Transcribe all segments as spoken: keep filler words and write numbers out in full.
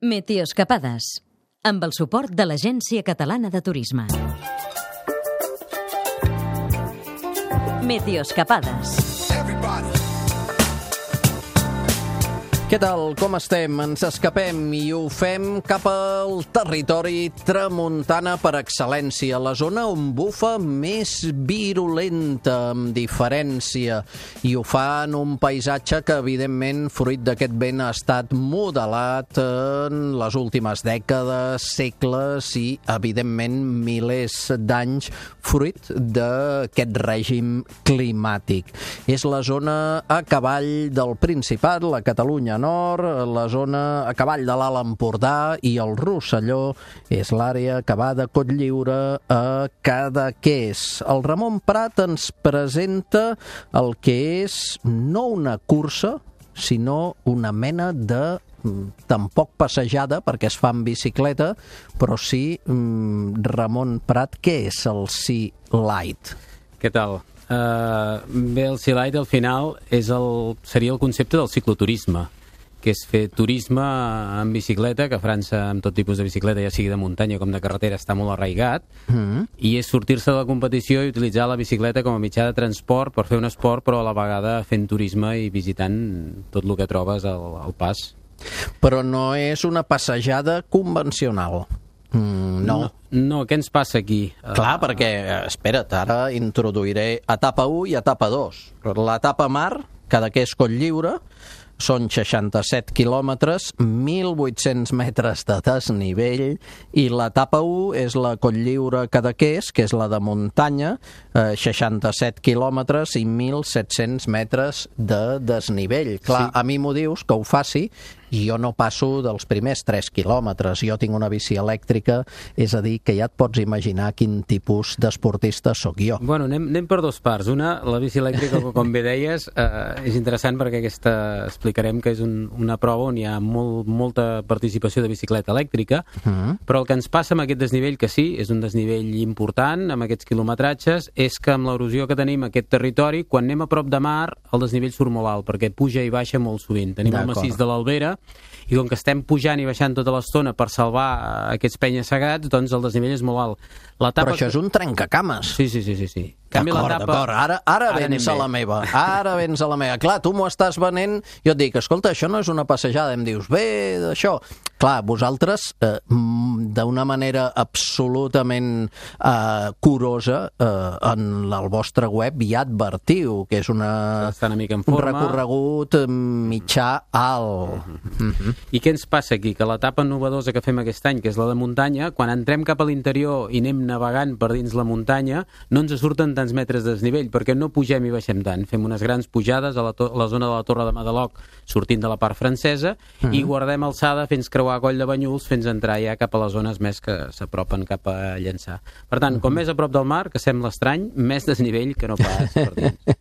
Meteoscapades, amb el suport de l'Agència Catalana de Turisme. Meteoscapades. Què tal? Com estem? Ens escapem i ho fem cap al territori tramuntana per excel·lència, la zona on bufa més virulenta, amb diferència, i ho fa en un paisatge que, evidentment, fruit d'aquest vent ha estat modelat en les últimes dècades, segles i, evidentment, milers d'anys, fruit d'aquest règim climàtic. És la zona a cavall del Principat, la Catalunya Nord, la zona a cavall de l'Alt Empordà i el Rosselló és l'àrea que va de Cotlliure a Cadaqués. El Ramon Prat ens presenta el que és no una cursa, sinó una mena de tampoc passejada, perquè es fa en bicicleta, però sí, Ramon Prat, què és el Sea Light? Què tal? Uh, bé, el Sea Light al final és el, seria el concepte del cicloturisme, que és fer turisme en bicicleta, que a França amb tot tipus de bicicleta, ja sigui de muntanya com de carretera, està molt arraigat, mm-hmm. i és sortir-se de la competició i utilitzar la bicicleta com a mitjà de transport per fer un esport, però a la vegada fent turisme i visitant tot el que trobes al, al pas. Però no és una passejada convencional. Mm, no. no. No, què ens passa aquí? Clar, perquè, espera't, ara introduiré etapa u i etapa dos. L'etapa mar, Cadaqués Cotlliure, són seixanta-set quilòmetres, mil vuit-cents metres de desnivell, i l'etapa u és la Cotlliure Cadaqués, que és la de muntanya, eh, seixanta-set quilòmetres i mil set-cents metres de desnivell. Clar, sí. A mi m'ho dius que ho faci, i jo no passo dels primers tres quilòmetres. Jo tinc una bici elèctrica, és a dir, que ja et pots imaginar quin tipus d'esportista sóc jo. Bueno, anem, anem per dos parts. Una, la bici elèctrica, com bé deies, eh, és interessant perquè aquesta explicarem que és un, una prova on hi ha molt, molta participació de bicicleta elèctrica, uh-huh. però el que ens passa amb aquest desnivell, que sí, és un desnivell important, amb aquests quilometratges, és que amb l'erosió que tenim a aquest territori, quan anem a prop de mar, el desnivell surt molt alt, perquè puja i baixa molt sovint. Tenim el massís de l'Albera, i com que estem pujant i baixant tota l'estona per salvar aquests penya-segats, doncs el desnivell és molt alt. Però això és un trencacames. Sí, sí, sí, sí, sí. D'acord, d'acord. Ara, ara, ara vens a la meva. Ara vens a la meva. Clar, tu m'ho estàs venent, jo et dic, escolta, això no és una passejada. Em dius, bé, d'això. Clar, vosaltres, eh, d'una manera absolutament eh, curosa, eh, en el vostre web ja advertiu que és una, una mica en un recorregut mitjà alt. Uh-huh. Uh-huh. I què ens passa aquí? Que l'etapa novedosa que fem aquest any, que és la de muntanya, quan entrem cap a l'interior i anem navegant per dins la muntanya, no ens surten tants metres de desnivell, perquè no pugem i baixem tant. Fem unes grans pujades a la, to- a la zona de la Torre de Madelog, sortint de la part francesa, uh-huh. i guardem alçada fins creuar Coll de Banyuls, fins a entrar ja cap a les zones més que s'apropen cap a Llançà. Per tant, uh-huh. com més a prop del mar, que sembla estrany, més desnivell que no pas per dins.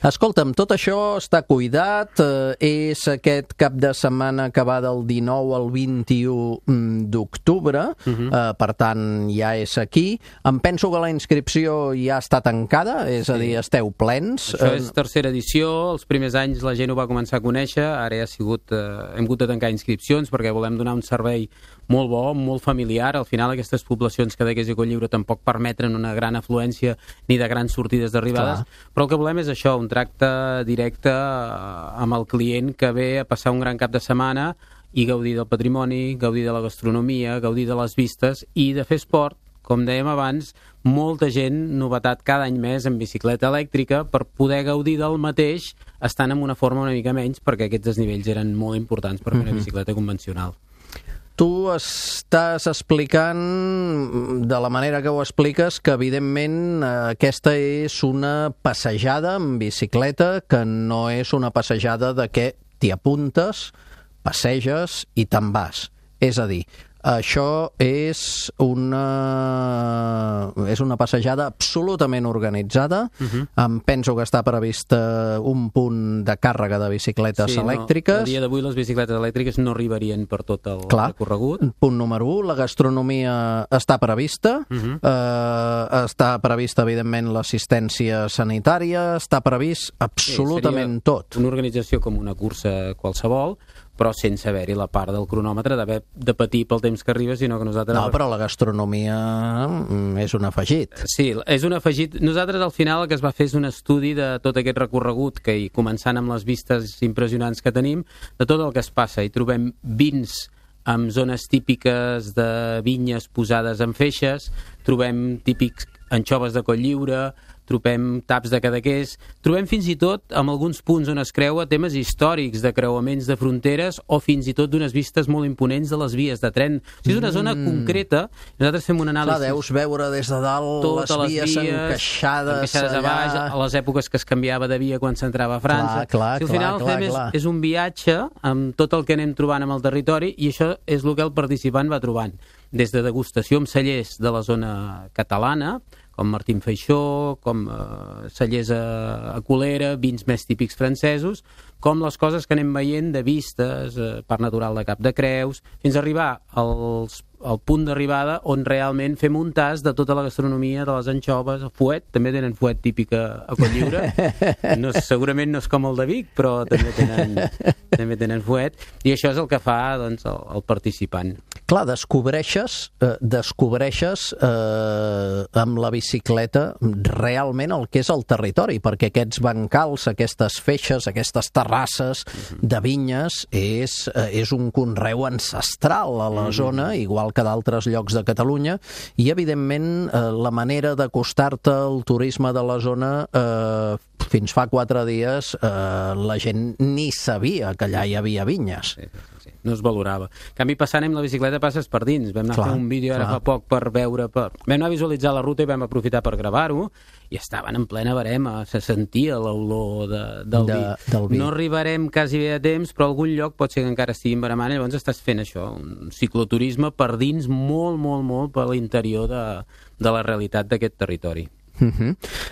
Escolta'm, tot això està cuidat, eh, és aquest cap de setmana que va del dinou al vint-i-u d'octubre, uh-huh. eh, per tant, ja és aquí. Em penso que la inscripció ja està tancada, és sí. a dir, esteu plens. Això és tercera edició, els primers anys la gent ho va començar a conèixer, ara ja ha sigut, eh, hem hagut de tancar inscripcions perquè volem donar un servei molt bo, molt familiar. Al final aquestes poblacions Cadaqués i Cotlliure tampoc permeten una gran afluència ni de grans sortides d'arribades, Clar. però el que volem és això, un tracte directe amb el client que ve a passar un gran cap de setmana i gaudir del patrimoni, gaudir de la gastronomia, gaudir de les vistes i de fer esport. Com dèiem abans, molta gent, novetat cada any més en bicicleta elèctrica per poder gaudir del mateix estant en una forma una mica menys, perquè aquests desnivells eren molt importants per fer una bicicleta convencional. Tu estàs explicant, de la manera que ho expliques, que evidentment aquesta és una passejada en bicicleta, que no és una passejada de què t'hi apuntes, passeges i te'n vas. És a dir, això és una, és una passejada absolutament organitzada. Uh-huh. Em penso que està previst un punt de càrrega de bicicletes sí, elèctriques. No, a dia d'avui les bicicletes elèctriques no arribarien per tot el Clar. recorregut. Punt número u, la gastronomia està prevista. Uh-huh. eh, està prevista, evidentment, l'assistència sanitària, està previst absolutament sí, tot. Una organització com una cursa qualsevol, però sense haver-hi la part del cronòmetre d'haver de patir pel temps que arriba, sinó que nosaltres... No, però la gastronomia és un afegit. Sí, és un afegit. Nosaltres al final el que es va fer és un estudi de tot aquest recorregut, que i començant amb les vistes impressionants que tenim, de tot el que es passa, i trobem vins amb zones típiques de vinyes posades en feixes, trobem típics anxoves de Cotlliure, trobem taps de Cadaqués, trobem fins i tot, amb alguns punts on es creua, temes històrics de creuaments de fronteres o fins i tot d'unes vistes molt imponents de les vies de tren. O sigui, és una zona mm. concreta, nosaltres fem un anàlisi... Clar, deus veure des de dalt les, les vies, vies encaixades, encaixades allà... a baix, a les èpoques que es canviava de via quan s'entrava a França. Clar, clar, si al final clar, fem clar, és, és un viatge amb tot el que anem trobant amb el territori, i això és el que el participant va trobant. Des de degustació amb cellers de la zona catalana, com Martín Feixó, com eh, cellers a, a Colera, vins més típics francesos, com les coses que anem veient de vistes, eh, Parc Natural de Cap de Creus, fins a arribar als, al punt d'arribada on realment fem un tas de tota la gastronomia de les anxoves, el fuet, també tenen fuet típic a, a Cotlliure, no, segurament no és com el de Vic, però també tenen, també tenen fuet, i això és el que fa doncs, el, el participant. Clar, descobreixes, eh, descobreixes eh, amb la bicicleta realment el que és el territori, perquè aquests bancals, aquestes feixes, aquestes terrasses de vinyes és, eh, és un conreu ancestral a la zona, igual que d'altres llocs de Catalunya, i evidentment eh, la manera d'acostar-te al turisme de la zona eh, fins fa quatre dies eh, la gent ni sabia que allà hi havia vinyes. Sí, sí, sí. No es valorava. En canvi, passant amb la bicicleta passes per dins. Vam anar clar, a fer un vídeo ara clar. fa poc per veure... Per... Vam anar a visualitzar la ruta i vam aprofitar per gravar-ho, i estaven en plena barema, se sentia l'olor de, del, de, vi. del vi. No arribarem quasi bé a temps, però algun lloc pot ser que encara estiguin baremant, llavors estàs fent això, un cicloturisme per dins molt, molt, molt per l'interior de, de la realitat d'aquest territori. Uh-huh.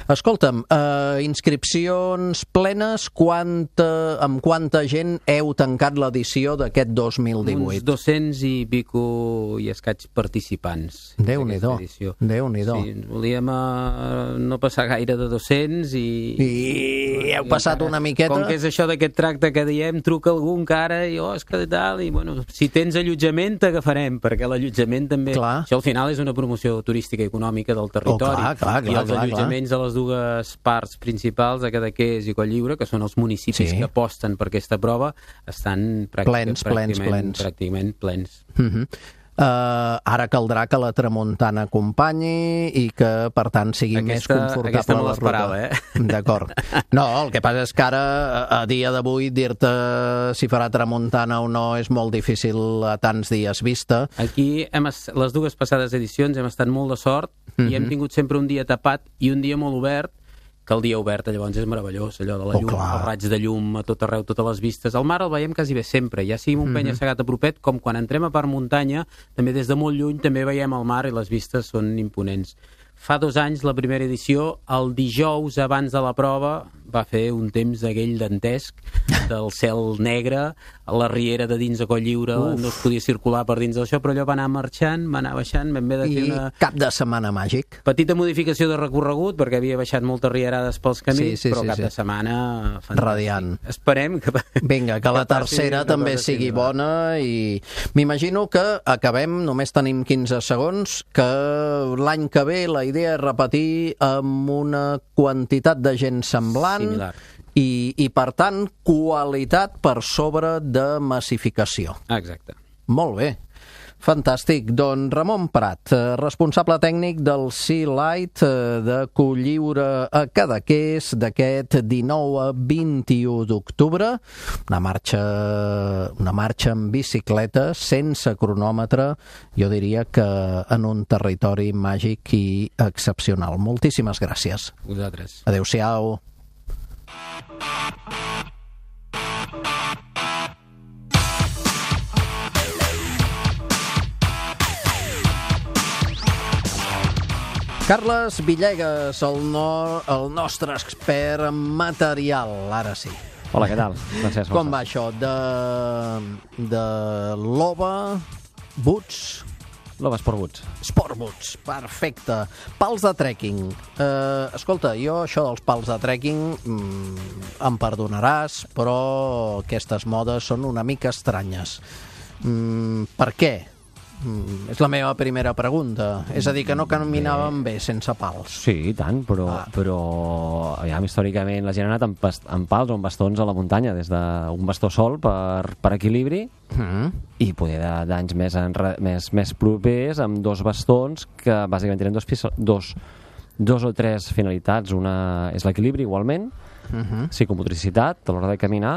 Escolta'm, uh, inscripcions plenes, quanta, amb quanta gent heu tancat l'edició d'aquest dos mil divuit? Uns dos-cents i pico i escaig participants. Déu-n'hi-do, Déu-n'hi-do. Sí, volíem uh, no passar gaire de dos-cents i... I heu passat una miqueta? Com que és això d'aquest tracte que diem, truca algú encara i oh, és que tal, i bueno, si tens allotjament t'agafarem, perquè l'allotjament també... Clar. Això al final és una promoció turística i econòmica del territori. Oh, clar, clar, clar, i els allotjaments de les dues parts principals, de Cadaqués i Cotlliure, que són els municipis sí. que aposten per aquesta prova, estan plens, plens, plens. pràcticament plens. Uh-huh. Uh, ara caldrà que la tramuntana acompanyi i que, per tant, sigui aquesta, més confortable aquesta no la l'esperava, ruta. Eh? D'acord. No, el que passa és que ara, a dia d'avui, dir-te si farà tramuntana o no és molt difícil a tants dies vista. Aquí, hem, les dues passades edicions, hem estat molt de sort uh-huh. i hem tingut sempre un dia tapat i un dia molt obert, que el dia obert llavors és meravellós, allò de la llum, oh, el raig de llum a tot arreu, totes les vistes. El mar el veiem quasi bé sempre, ja sigui un mm-hmm. penya-segat a propet, com quan entrem a part muntanya, també des de molt lluny també veiem el mar i les vistes són imponents. Fa dos anys, la primera edició, el dijous abans de la prova, va fer un temps d'aquell dantesc, del cel negre, a la riera de dins de Cotlliure, Uf. no es podia circular per dins d'això, però allò va anar marxant, va anar baixant, vam haver de fer una... I cap de setmana màgic. Petita modificació de recorregut, perquè havia baixat moltes rierades pels camins, sí, sí, però sí, cap sí. de setmana... Fantàstic. Radiant. Esperem que... Vinga, que la tercera també sigui bona i m'imagino que acabem, només tenim quinze segons, que l'any que ve la idea és repetir amb una quantitat de gent semblant Similar. i, i per tant, qualitat per sobre de massificació. Exacte. Molt bé. Fantàstic. Doncs Ramon Prat, responsable tècnic del Sea Light de Cotlliure a Cadaqués d'aquest dinou a vint-i-u d'octubre. Una marxa, una marxa en bicicleta, sense cronòmetre, jo diria que en un territori màgic i excepcional. Moltíssimes gràcies. Vosaltres. Adéu-siau. Carles Villegas, el, no, el nostre expert en material, ara sí. Hola, què tal? Francesc, com va això? De, de l'O B A, Boots, Love Sportboots. Sportboots, perfecte. Pals de trekking. Eh, escolta, jo això dels pals de trekking mm, em perdonaràs, però aquestes modes són una mica estranyes. Mm, per què? Mm, és la meva primera pregunta. És a dir, que no caminàvem bé sense pals. Sí, i tant, però, ah. però aviam, històricament la gent ha anat amb, past- amb pals o amb bastons a la muntanya, des d'un bastó sol per, per equilibri mm. i poder d'anys més, enre, més, més propers amb dos bastons que bàsicament tenen dos, dos, dos o tres finalitats. Una és l'equilibri igualment, mm-hmm. psicomotricitat a l'hora de caminar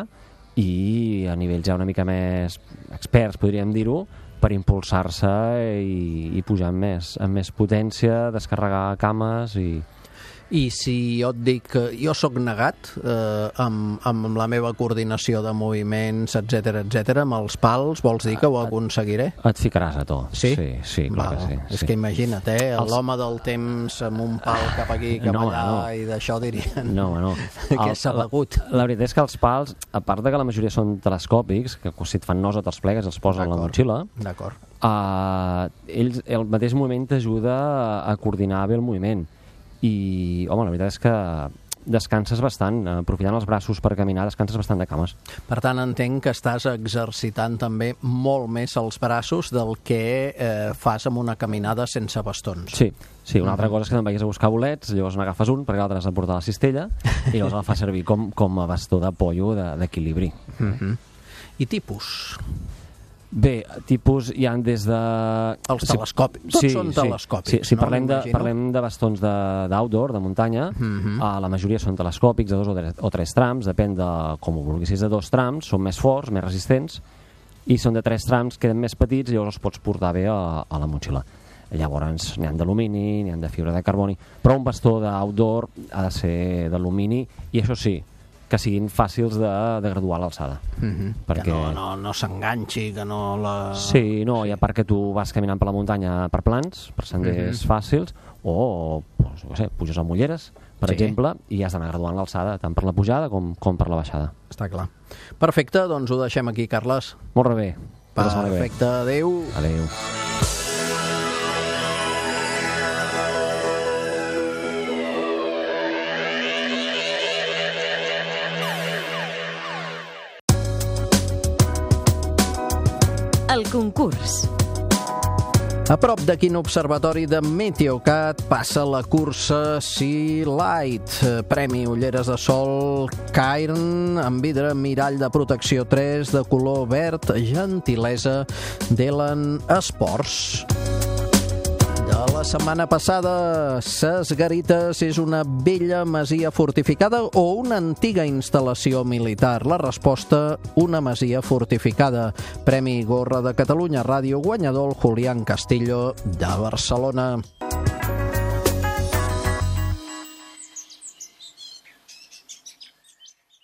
i a nivells ja una mica més experts, podríem dir-ho, per impulsar-se i, i pujar amb més, amb més potència, descarregar cames i... I si jo et dic que jo sóc negat eh, amb, amb la meva coordinació de moviments, etcètera, etcètera, amb els pals, vols dir que ho aconseguiré? Et ficaràs a to. Sí? Sí, sí, clar Val. que sí. És sí. que imagina't, eh? Els... L'home del temps amb un pal cap aquí, cap no, allà, no. i d'això dirien No, no. que s'ha begut. La, la veritat és que els pals, a part de que la majoria són telescòpics, que si et fan nosa te'ls plegues i els poses a la motxilla, D'acord. Uh, ells, el mateix moviment t'ajuda a, a coordinar bé el moviment i, home, la veritat és que descanses bastant, aprofitant els braços per caminar, descanses bastant de cames. Per tant, entenc que estàs exercitant també molt més els braços del que eh, fas amb una caminada sense bastons. Sí, sí, una altra cosa és que te'n vagis a buscar bolets, llavors n'agafes un perquè l'altre has de portar a la cistella i llavors el fas servir com, com a bastó d'apollo d'equilibri. Mm-hmm. I tipus? Bé, tipus hi ha des de... Els telescòpics. Tots sí, són sí, telescòpics, sí, si no? parlem, de, parlem de bastons d'outdoor, de, de muntanya, mm-hmm. uh, la majoria són telescòpics, de dos o tres, o tres trams, depèn de com ho vulguis. Si és de dos trams, són més forts, més resistents, i són de tres trams, queden més petits i llavors els pots portar bé a, a la motxilla. Llavors n'hi ha d'alumini, n'hi ha de fibra de carboni, però un bastó d'outdoor ha de ser d'alumini i això sí, que siguin fàcils de, de graduar l'alçada. Mm-hmm. Perquè... Que no, no, no s'enganxi, que no la... Sí, no, i a part que tu vas caminant per la muntanya per plans, per senders mm-hmm. fàcils, o, doncs, no sé, puges amb ulleres, per sí. exemple, i has d'anar graduant l'alçada, tant per la pujada com, com per la baixada. Està clar. Perfecte, doncs ho deixem aquí, Carles. Molt bé. Perfecte, adéu. Adéu. El concurs. A prop de quin observatori de Meteocat passa la cursa Sea Light? Premi ulleres de sol Cairn amb vidre mirall de protecció tres de color verd, gentilesa d'Elan Sports. De la setmana passada, Ses Garites és una vella masia fortificada o una antiga instal·lació militar? La resposta, una masia fortificada. Premi Gorra de Catalunya Ràdio guanyador Julián Castillo de Barcelona.